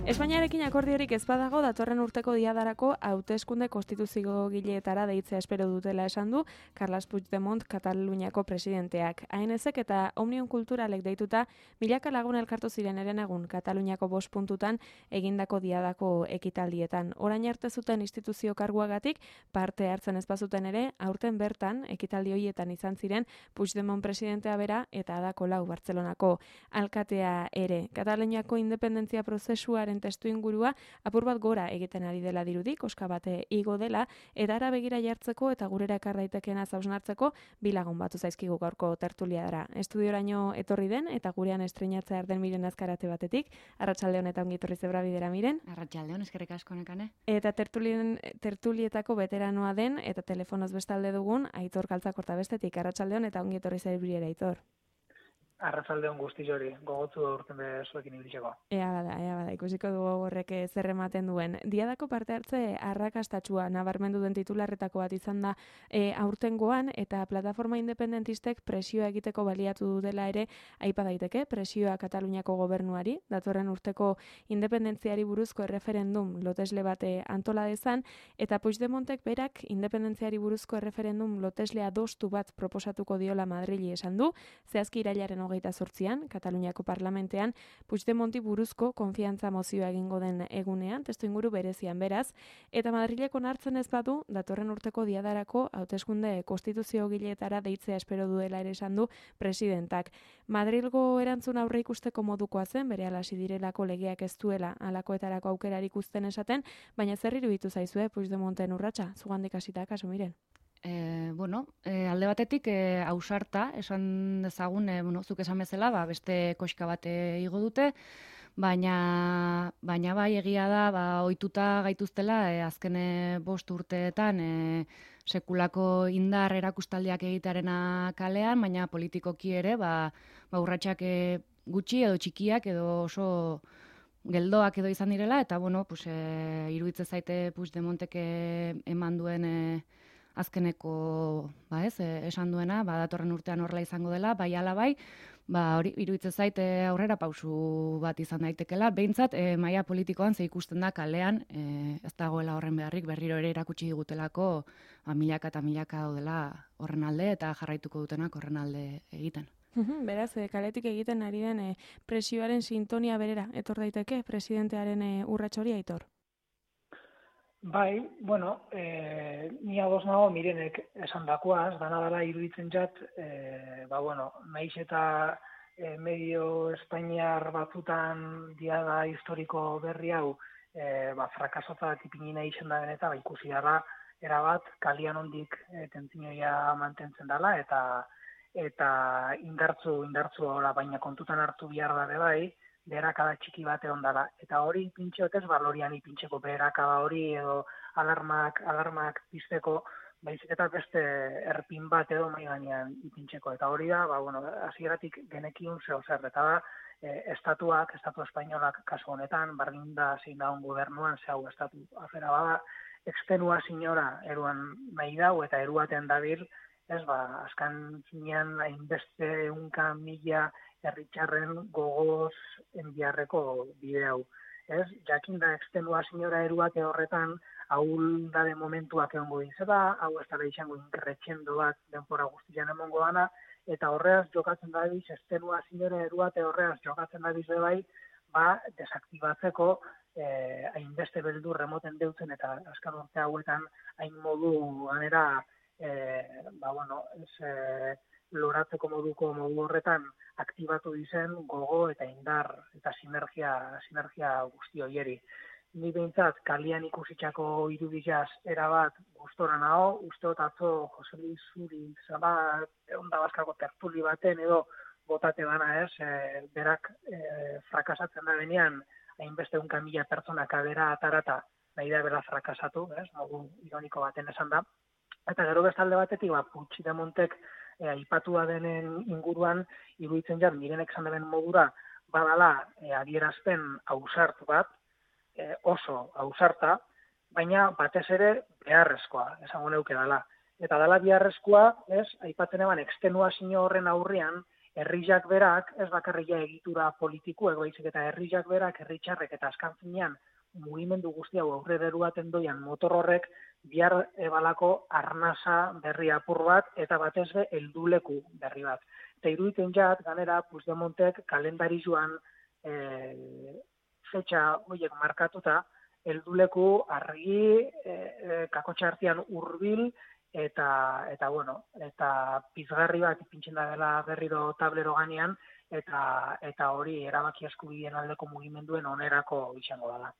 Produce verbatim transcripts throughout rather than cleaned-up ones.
Espainiarekin akordiorik ez badago datorren urteko diadarako hauteskunde konstituziogileetara deitzea espero dutela esan du Carles Puigdemont Kataluniako presidenteak. A N S-ek eta Omnium Kulturalek deituta milaka lagun elkartu ziren herenegun Kataluniako bost puntutan egindako diadako ekitaldietan. Orain arte zuten instituzio karguagatik parte hartzen ez bazuten ere, aurten bertan ekitaldi horietan izan ziren Puigdemont presidentea bera eta Ada Colau Bartzelonako alkatea ere. Kataluniako independentzia prozesuaren testu ingurua apur bat gora egiten ari dela dirudi, koska bate igo dela, eta ara begira jartzeko eta gurera ekar daitekeena zausnartzeko bilagun batu zaizkigu gaurko tertuliadara. Estudioraino etorri den eta gurean estreinatzea den Miren Azkarate batetik. Arratsaldeon eta ongi etorri zebra bidera, Miren. Arratsaldeon, eskerrik asko nekane. Eta tertulien tertulietako veteranoa den eta telefonoz bestalde dugun Aitor Kaltzakorta bestetik. Arratsaldeon eta ongi etorri zebra Aitor. Arratsaldeon guzti hori, gogotzu urten bezuekin ibiltzeko. Ea bada, ea bada, ikusiko dugu horrek zer ematen duen. Diadako parte hartze arrakastatsua nabarmendu den titularretako bat izan da e, aurtengoan, eta plataforma independentistek presioa egiteko baliatu dela ere aipa daiteke, presioa Kataluniako gobernuari, datorren urteko independentziari buruzko erreferendum lotesle bate antola dezan, eta Puigdemontek berak independentziari buruzko erreferendum lotesle adostu bat proposatuko diola Madrili esan du, zehazki irailaren hogeita zortzian, Kataluniako parlamentean, Puigdemonti buruzko konfiantza mozioa egingo den egunean, testu inguru berezian beraz, eta Madrileko onartzen ez badu, datorren urteko diadarako hauteskunde konstituziogileetara deitzea espero duela ere esan du presidentak. Madrilgo erantzun aurre ikusteko modukoa zen, bere alasi direlako legeak ez duela alakoetarako aukerarik uzten esaten, baina zer iruditu zaizue Puigdemonten urratsa, zugandik hasita kasu Miren. E, bueno, e, alde batetik e, ausarta, esan dezagun, e, bueno, zuk esan bezala, ba, beste koska bat igo dute, baina, baina bai egia da, ba, ohituta gaituztela, e, azken bost urteetan, e, sekulako indar erakustaldiak egitearena kalean, baina politikoki ere, ba, ba urratsak e, gutxi edo txikiak edo oso geldoak edo izan direla, eta bueno, pues, e, iruditze zaite Puigdemontek eman duen e, azkeneko, ba ez, esan duena, ba datorren urtean horrela izango dela, bai ala bai, ba hori iruditzen zaite aurrera pausu bat izan daitekela, behintzat e, maila politikoan ze ikusten da kalean, e, ez dagoela horren beharrik berriro ere erakutsi digutelako, ba milaka eta milaka daudela horren alde eta jarraituko dutenak horren alde egiten. Beraz, e, kaletik egiten ari den e, presioaren sintonia berera etor daiteke presidentearen e, urrats hori Aitor. Bai, bueno, e, ni ados nago Mirenek esan dakoaz, dana dela iruditzen jat, e, ba bueno, naiz eta e, medio espainiar batzutan diada historiko berri hau, e, ba, frakasotzat ipinina izan da beneta, ba, ikusi dara, erabat, kalian ondik e, tentzinoia mantentzen dela, eta eta indartzu, indartzu hola, baina kontutan hartu behar da bai, beherakada txiki bate ondala. Eta hori pintxeotez, balorian ipintxeko beherakada hori edo alarmak, alarmak pizteko, baizik eta beste erpin bat edo mai gainean ipintxeko. Eta hori da, ba, bueno, hasieratik genekiun zeo zer, eta da, e, estatuak, estatu espainolak kasu honetan, bardin da zein daun gobernuan, ze hau estatu afera bada, extenua sinora eruan nahi dau, eta eruaten dabil, ez ba, azkan zinean hainbeste unka mila herritxarren gogoz enbiarreko bide hau. Ez, jakin da extenua sinora eruate horretan ahul da de momentuak egongo dizela, hau ez dara izango inkerretxendo bat denpora guztian emongo dana, eta horreaz jokatzen dabiz, extenua sinora eruate horreaz jokatzen dabiz bai, ba, desaktibatzeko eh, hainbeste beldur remoten deutzen eta azkar urte hauetan hain modu ganera eh, ba, bueno, ez, eh, loratzeko moduko modu horretan aktibatu dizen gogo eta indar eta sinergia, sinergia guzti hoieri. Ni behintzat kalian ikusitxako irudizaz erabat gustora nago, usteot atzo Jose Luis Zuri zaba Onda Baskako tertuli baten edo botate bana ez, e, berak e, frakasatzen da benean, hainbeste unka mila pertsona kabera atarata, nahi da bera frakasatu, ez, modu ironiko baten esan da. Eta gero bestalde batetik, ba, Puigdemontek e, aipatua denen inguruan, iruditzen jat, mirenek esan deben modura, badala e, adierazpen ausart bat, e, oso ausarta, baina batez ere beharrezkoa, esango neuke dala. Eta dala beharrezkoa, ez, aipatzen eban, extenuazio horren aurrean, herriak berak, ez bakarria egitura politiku, egoizik eta herriak berak, herritxarrek eta azkan finean, mugimendu guzti hau aurrera eruaten doian motor horrek, bihar ebalako arnasa berri apur bat, eta batez be, helduleku berri bat. Eta iruditzen jat, ganera, Puigdemontek kalendari joan e, fetxa horiek markatuta, helduleku argi, e, e, kakotxa artean hurbil, eta eta bueno, eta pizgarri bat ipintzen da dela berriro tablero ganean eta eta hori erabaki eskubideen aldeko mugimenduen onerako izango dela.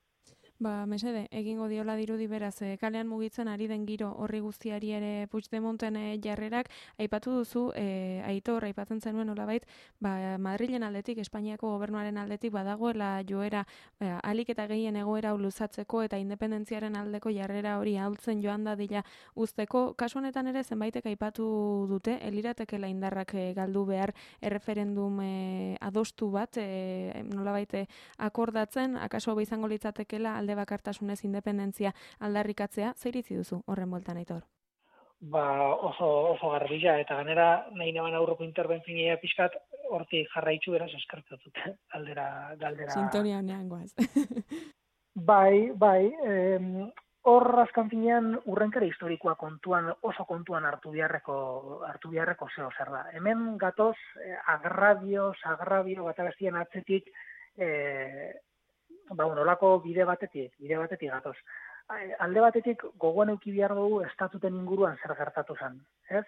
Ba, mesede, egingo diola dirudi beraz, e, kalean mugitzen ari den giro horri guztiari ere Puigdemonten e, jarrerak, aipatu duzu, e, Aitor, aipatzen zenuen nolabait, ba, Madrilen aldetik, Espainiako gobernuaren aldetik, badagoela joera, ba, alik eta gehien egoera luzatzeko eta independentziaren aldeko jarrera hori ahultzen joan dadila uzteko. Kasu honetan ere, zenbaitek aipatu dute, eliratekela indarrak e, galdu behar erreferendum e, adostu bat, e, nolabait akordatzen, akaso hau izango litzatekela alde bakartasunez independentzia aldarrikatzea, zer iritzi duzu horren bueltan, Aitor? Ba, oso, oso garbila, eta ganera nahi neban aurroko interbentzioa pixkat, hortik jarraitzu beraz eskartzatut, galdera, galdera. Sintonia honean goaz. bai, bai, em, hor azkan finean urrenkera historikoa kontuan, oso kontuan hartu biharreko, hartu biharreko zeo zer da. Hemen gatoz, eh, agrabio, sagrabio, bat abestien atzetik, eh, ba, nolako bide batetik, bide batetik gatoz. Alde batetik gogoan euki behar dugu estatuten inguruan zer gertatu zen, ez?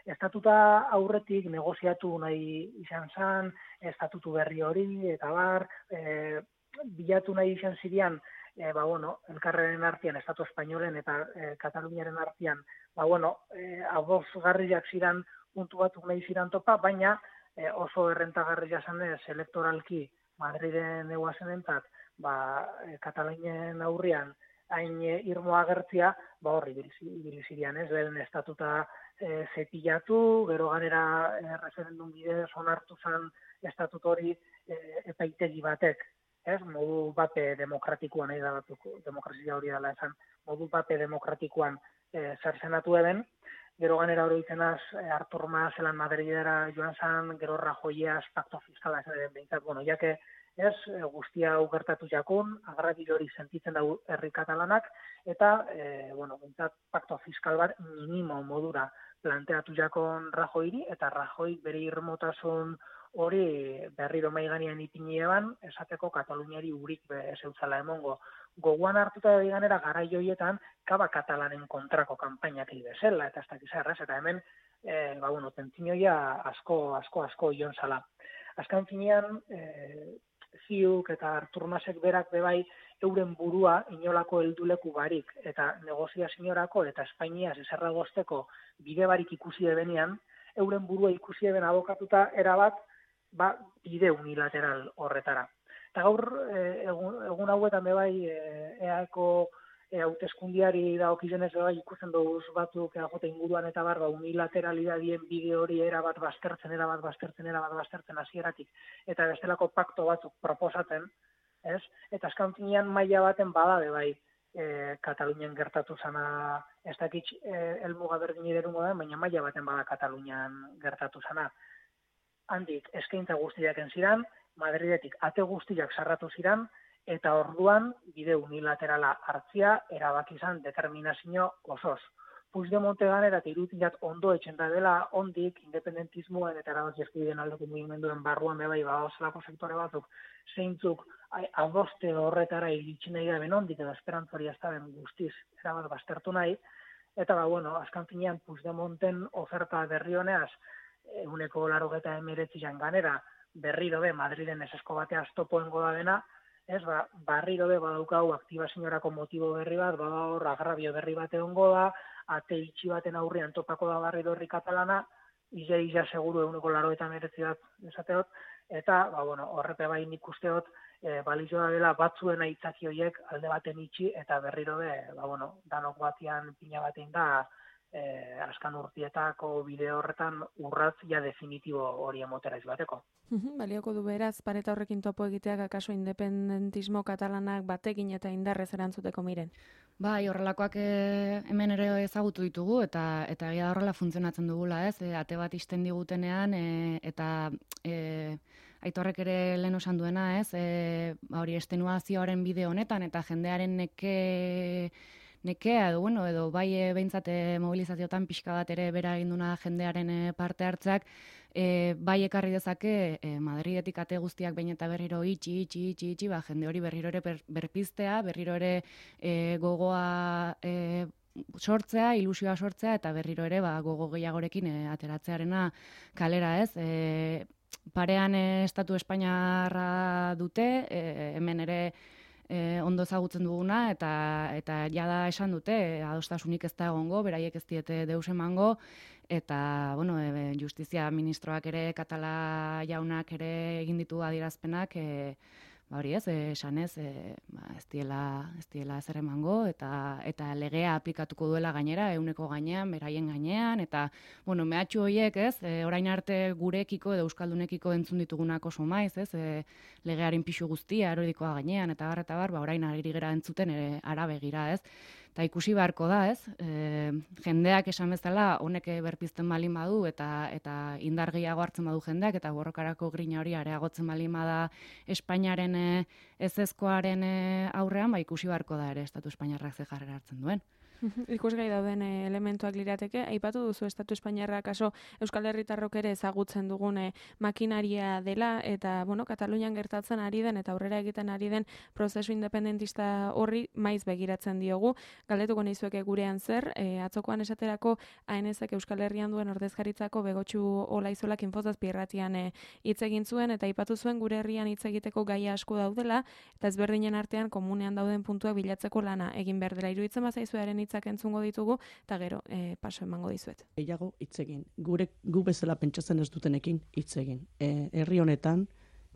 Estatuta aurretik negoziatu nahi izan zen, estatutu berri hori, eta bar, e, bilatu nahi izan zirean, e, ba, bueno, elkarren artean, Estatu Espainolen eta e, Kataluniaren artean, ba, bueno, e, abozgarriak ziren puntu batzuk nahi ziren topa, baina e, oso errentagarria zen ez elektoralki Madriden eguazen entzat, ba, Katalunien aurrian hain irmo agertzia, ba horri bilizirian, ez, lehen estatuta e, zepilatu, gero ganera e, referendum bidez onartu zen estatut hori e, epaitegi batek, ez, modu bape demokratikoan, nahi da batuko, demokrazia hori dela esan, modu bape demokratikoan e, zer zenatu eben, gero ganera hori izenaz, e, Artur Mas zelan Madridera joan zen, gero Rajoyaz pakto fiskala zen, behintzat, bueno, jake, ez, guztia hau gertatu jakun, agrabil hori sentitzen da herri katalanak, eta, e, bueno, bentsat, pakto fiskal bat minimo modura planteatu jakon Rajoyri, eta Rajoy bere irmotasun hori berriro mai gainean ipini eban, esateko Kataluniari urik zeutzala emongo. Goguan hartuta da ganera garai hoietan, kaba katalanen kontrako kanpainak bezala, eta ez dakiz errez, eta hemen, e, ba, bueno, tentzinoia asko, asko, asko ion zala. Azkan finean, e, Ziuk eta Artur Masek berak bebai euren burua inolako helduleku barik eta negoziaziorako eta Espainiaz eserra gozteko bide barik ikusi ebenean, euren burua ikusi eben abokatuta erabat ba, bide unilateral horretara. Eta gaur egun, egun hauetan bebai eako hauteskundiari dagokizenez bebai ikusten duz batzuk eajote inguruan eta bar, ba, unilateralidadien bide hori erabat baztertzen, erabat baztertzen, erabat baztertzen hasieratik, eta bestelako pakto batzuk proposatzen, ez? Eta azkan finean maila baten bada bebai e, Katalunian gertatu zana, ez dakit e, elmuga berdin iderungo da, baina maila baten bada Katalunian gertatu zana. Handik eskaintza guztiak enziran, Madridetik ate guztiak sarratu ziran, eta orduan bide unilaterala hartzia erabaki izan determinazio osoz. Puigdemonte ganera eta iruditzen ondo etxen da dela, ondik independentismoen eta erabaki eskubideen aldeko mugimenduen barruan bebai badaozelako sektore batzuk zeintzuk adoste horretara iritsi nahi da benondik edo esperantzori ez da ben guztiz erabat baztertu nahi, eta ba, bueno, azkan finean Puigdemonten oferta berri honeaz, eguneko larogeta emiretzian ganera, berriro be, Madriden esesko batea topoengo da dena, ez, ba, barriro be badaukagu aktibazioarako motibo berri bat, bada hor agrabio berri bat egongo da, ate itxi baten aurrean topako da barriro herri katalana, ize iza seguru eguneko larogeta emiretzi bat esateot, eta, ba, bueno, horrepe bai nik usteot, e, balizioa dela batzuen aitzaki horiek alde baten itxi, eta berriro be, ba, bueno, danok batian pina batein da, Eh, askan urtietako bideo horretan urratz ja definitibo hori emotera izbateko. Balioko du beraz, pareta horrekin topo egiteak akaso independentismo katalanak batekin eta indarrez erantzuteko miren? Bai, horrelakoak e, hemen ere ezagutu ditugu eta eta egia horrela funtzionatzen dugula, ez? E, ate bat isten digutenean e, eta e, Aitorrek ere lehen osan duena, ez? E, hori estenuazioaren bideo honetan eta jendearen neke nekea edo, bueno, edo bai e, behintzat e, mobilizazioetan pixka bat ere bera eginduna jendearen e, parte hartzak, e, bai ekarri dezake e, Madridetik ate guztiak behin eta berriro itxi, itxi, itxi, itxi, ba, jende hori berriro ere ber, berpiztea, berriro ere e, gogoa e, sortzea, ilusioa sortzea, eta berriro ere ba, gogo gehiagorekin e, ateratzearena kalera, ez? E, parean e, Estatu Espainiarra dute, e, hemen ere E, ondo ezagutzen duguna, eta eta jada esan dute, e, adostasunik ez da egongo, beraiek ez diete deus emango, eta, bueno, e, justizia ministroak ere, Katala jaunak ere egin ditu adierazpenak, e, ba hori ez, esan ez, e, ba, ez diela, ez diela zer emango, eta, eta legea aplikatuko duela gainera, euneko gainean, beraien gainean, eta, bueno, mehatxu horiek, ez, e, orain arte gurekiko edo euskaldunekiko entzun ditugunak oso maiz, ez, e, legearen pixu guztia, erodikoa gainean, eta bar, eta bar, ba, orain ari gara entzuten ere arabegira, ez. Eta ikusi beharko da, ez, e, jendeak esan bezala, honek berpizten balin badu, eta eta indar gehiago hartzen badu jendeak, eta borrokarako grina hori areagotzen balin bada Espainiaren e, ezezkoaren e, aurrean, ba ikusi beharko da ere Estatu Espainiarrak ze jarrera hartzen duen. Ikusgai dauden elementuak lirateke, aipatu duzu Estatu Espainiarrak kaso Euskal Herritarrok ere ezagutzen dugun makinaria dela, eta, bueno, Katalunian gertatzen ari den eta aurrera egiten ari den prozesu independentista horri maiz begiratzen diogu. Galdetuko nizueke gurean zer, e, atzokoan esaterako A N Zek Euskal Herrian duen ordezkaritzako Begotxu Olaizolak Infozazpi irratian hitz egin zuen, eta aipatu zuen gure herrian hitz egiteko gaia asko daudela, eta ezberdinen artean komunean dauden puntuak bilatzeko lana egin behar dela. Iruditzen bazaizuaren hitzak entzungo ditugu, eta gero e, paso emango dizuet. Gehiago hitz egin. Gure gu bezala pentsatzen ez dutenekin hitz egin. E, herri honetan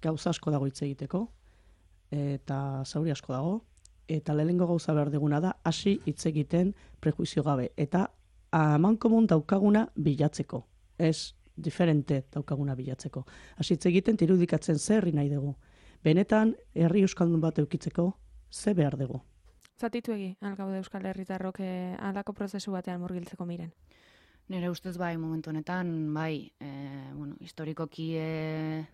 gauza asko dago hitz egiteko, eta zauri asko dago, eta lehenengo gauza behar duguna da hasi hitz egiten prejuizio gabe, eta amankomun daukaguna bilatzeko. Ez diferente daukaguna bilatzeko. Hasi hitz egiten irudikatzen zer herri nahi dugu. Benetan herri euskaldun bat eukitzeko ze behar dugu. Zatitu egi, algaude Euskal Herritarrok eh, alako prozesu batean murgiltzeko miren? Nire ustez bai, momentu honetan, bai, e, bueno, historikoki e,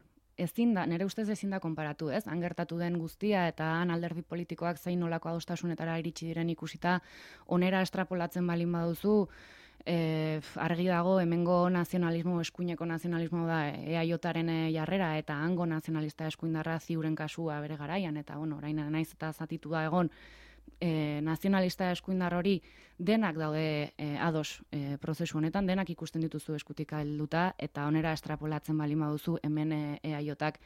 ezin da, nire ustez ezin da konparatu, ez? Han gertatu den guztia eta han alderdi politikoak zein nolako adostasunetara iritsi diren ikusita, onera estrapolatzen balin baduzu, E, argi dago hemengo nazionalismo, eskuineko nazionalismo da E A Jaren jarrera, eta hango nazionalista eskuindarra ziuren kasua bere garaian, eta bueno, orain naiz eta zatitu da egon, E, nazionalista eskuindar hori denak daude e, ados e, prozesu honetan, denak ikusten dituzu eskutik helduta, eta onera estrapolatzen balin baduzu hemen E A Jak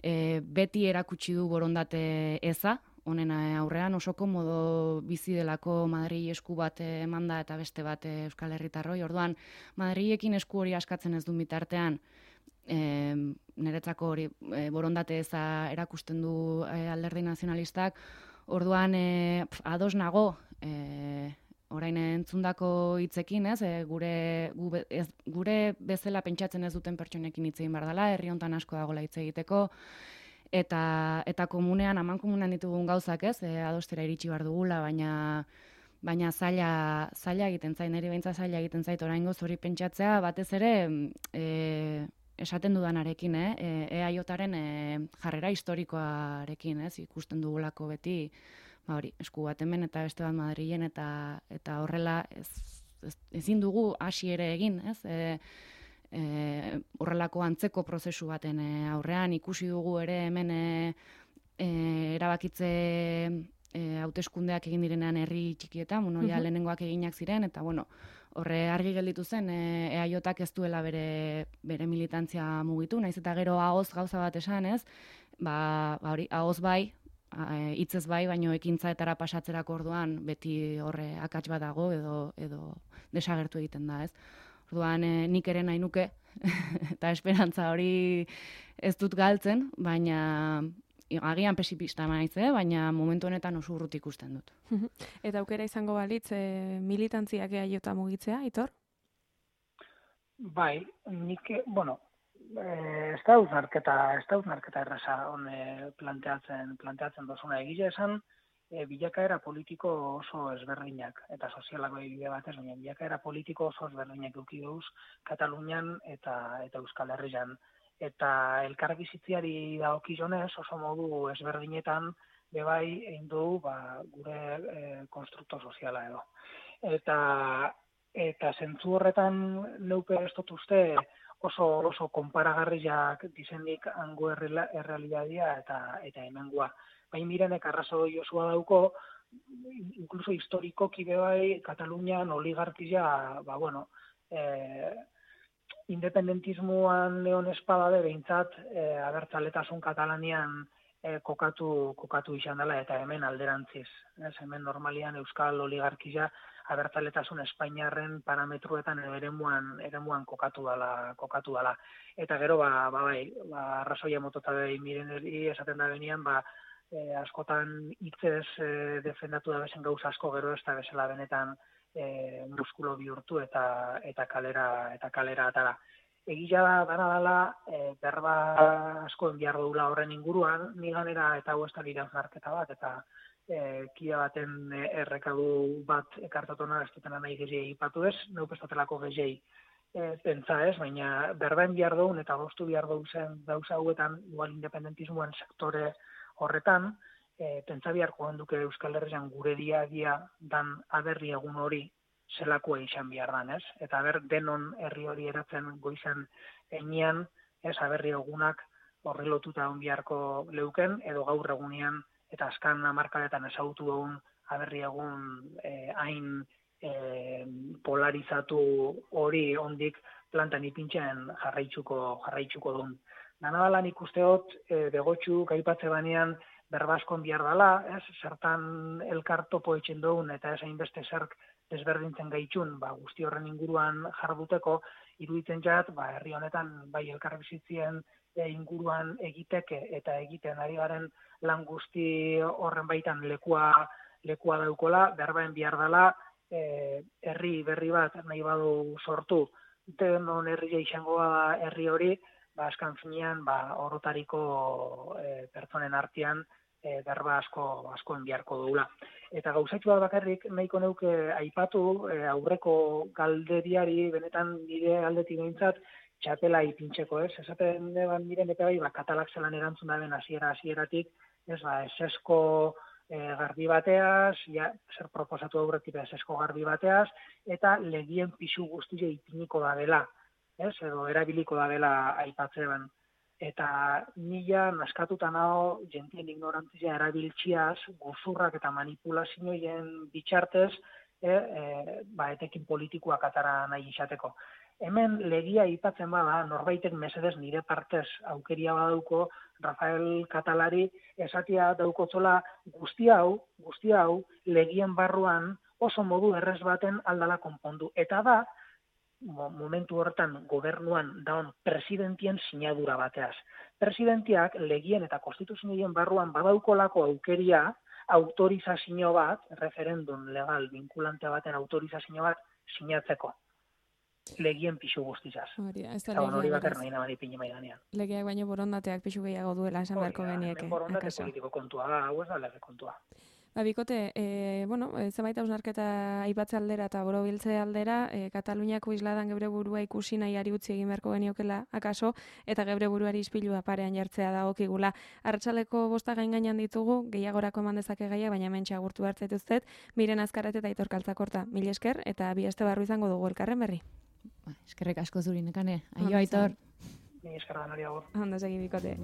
e, beti erakutsi du borondate eza, honen aurrean oso komodo bizi delako Madrili esku bat emanda eta beste bat Euskal Herritarroi. Orduan, Madrilekin esku hori askatzen ez du bitartean, e, niretzako hori e, borondate eza erakusten du e, alderdi nazionalistak. Orduan, e, pf, ados nago, e, orain entzundako hitzekin, ez, e, gure, gu, ez, gure bezala pentsatzen ez duten pertsonekin hitz egin behar dela, herri hontan asko dagoela hitz egiteko, eta eta komunean, aman komunean ditugun gauzak, ez, e, adostera iritsi behar dugula, baina baina zaila, zaila egiten zait, niri behintzat zaila egiten zait, oraingoz hori pentsatzea, batez ere, e, esaten dudanarekin, eh? E A Jaren e, jarrera historikoarekin, ez, ikusten dugulako beti, ba hori, esku bat hemen eta beste bat Madrilen, eta eta horrela ez, ez, ezin dugu hasi ere egin, ez? E, e, horrelako antzeko prozesu baten e, aurrean ikusi dugu ere hemen e, e, erabakitze e, hauteskundeak egin direnean herri txikietan, bueno, ja lehenengoak eginak ziren, eta bueno, horre argi gelditu zen e, eaiotak ez duela bere, bere militantzia mugitu, naiz eta gero ahoz gauza bat esan, ez? Ba, ba hori, ahoz bai, hitzez bai, baino ekintzaetara pasatzerako orduan beti horre akats bat dago edo, edo desagertu egiten da, ez? Orduan e, nik ere nahi nuke, eta esperantza hori ez dut galtzen, baina agian pesimista naiz, eh? Baina momentu honetan oso urruti ikusten dut. Eta aukera izango balitz, e, militantziak eaiota mugitzea, Aitor? Bai, nik, bueno, ez da uznarketa, ez da uznarketa erraza hone planteatzen, planteatzen dozuna egia esan, e, bilakaera politiko oso ezberdinak, eta sozialako bide batez, baina bilakaera politiko oso ezberdinak eduki duz Katalunian eta, eta Euskal Herrian. Eta elkarbizitziari dagokionez oso modu ezberdinetan bebai egin du ba, gure e, konstrukto soziala edo. Eta eta zentzu horretan neupe ez dut uste oso oso konparagarriak dizenik hango errealitatea eta eta hemengoa. Baina mirenek arrazo josua dauko, incluso historikoki bebai Katalunian oligarkia, ba bueno, eh independentismoan neon espada de behintzat e, abertzaletasun Katalanian e, kokatu kokatu izan dela eta hemen alderantziz. Ez, hemen normalian euskal oligarkia abertzaletasun Espainiarren parametruetan eremuan eremuan kokatu dela, kokatu dela. Eta gero ba ba bai, ba arrazoia motota bai mireneri esaten da benean, ba e, askotan hitzez e, defendatu da bezen gauza asko gero ez da bezala benetan E, muskulo bihurtu eta eta kalera eta kalera atara. Egia da dana dela e, berba asko behar dugula horren inguruan, ni ganera eta hau ez da iraunarketa bat eta e, kia baten errekadu bat ekartatona ez dutena nahi gehiagik ipatu ez, neu pestatelako gehiagik e, pentsa ez, baina berbaen behar dugun eta goztu behar dugu zen dauza hauetan igual independentismoen sektore horretan, E, pentsa biharko handuke Euskal Herrian gure dia-dia dan aberri egun hori zelakoa izan behar dan, ez? Eta aber denon herri hori eratzen goizen enean, ez, aberri egunak horri lotuta on biharko leuken, edo gaur egunean, eta azkan hamarkadetan ezagutu dugun aberri egun e, hain e, polarizatu hori ondik plantan ipintzen jarraitzuko, jarraitzuko duen. Danadalan ikusteot, e, begotxu gaipatze banean, berbaskon bihar dela, ez, zertan elkar topo etxen dugun eta ez hainbeste zerk desberdintzen gaitxun, ba, guzti horren inguruan jarduteko, iruditzen jat, ba, herri honetan bai elkar bizitzien e, inguruan egiteke eta egiten ari garen lan guzti horren baitan lekua, lekua daukola, berbaen bihar dela, e, herri berri bat nahi badu sortu, denon herria izango da herri hori, ba, askan finean, ba, orotariko e, pertsonen artean, E, berba asko askoen biharko dugula. Eta gauzatxu bat bakarrik nahiko neuke aipatu e, aurreko galderiari benetan nire aldetik behintzat txapela ipintzeko, ez? Esaten deban miren eta bai, ba, katalak zelan erantzun da ben hasiera hasieratik, ez ba, esesko e, garbi bateaz, ja, zer proposatu aurretik esesko garbi bateaz, eta legien pisu guztia ipiniko da dela, ez? Edo erabiliko da dela aipatzean. Eta nila naskatuta nago jentien ignorantzia erabiltziaz, guzurrak eta manipulazioen bitxartez, e, e, ba, etekin politikoak atara nahi izateko. Hemen legia aipatzen bada, norbaitek mesedez nire partez aukeria badauko, Rafael Katalari esatia daukotzola guzti hau, guzti hau, legien barruan oso modu errez baten aldala konpondu. Eta da, momentu horretan gobernuan daun presidentien sinadura bateaz. Presidentiak legien eta konstituzioen barruan badaukolako aukeria autorizazio bat, referendum legal vinculante baten autorizazio bat sinatzeko. Legien pixu guztizaz. Eta hori bater nahi nabari pini maidanean. Legeak baino borondateak pixu gehiago duela esan beharko genieke. Borondate politiko kontua da, hau ez da lege kontua. Ba, bikote, e, bueno, e, zenbait hausnarketa aipatze aldera eta borobiltze aldera, e, Kataluniako isladan geure burua ikusi nahiari utzi egin beharko geniokela, akaso, eta geure buruari ispilua parean jartzea dagokigula. Arratsaleko bosta gain gainean ditugu, gehiagorako eman dezake gaia, baina mentxe agurtu hartzaituztet, Miren Azkarate eta Aitor Kaltzakorta. Mil esker, eta bi aste barru izango dugu elkarren berri. Ba, eskerrik asko zuri, nekane. Aio, Aitor. Ni eskerra nori agur. Ondo segi, bikote.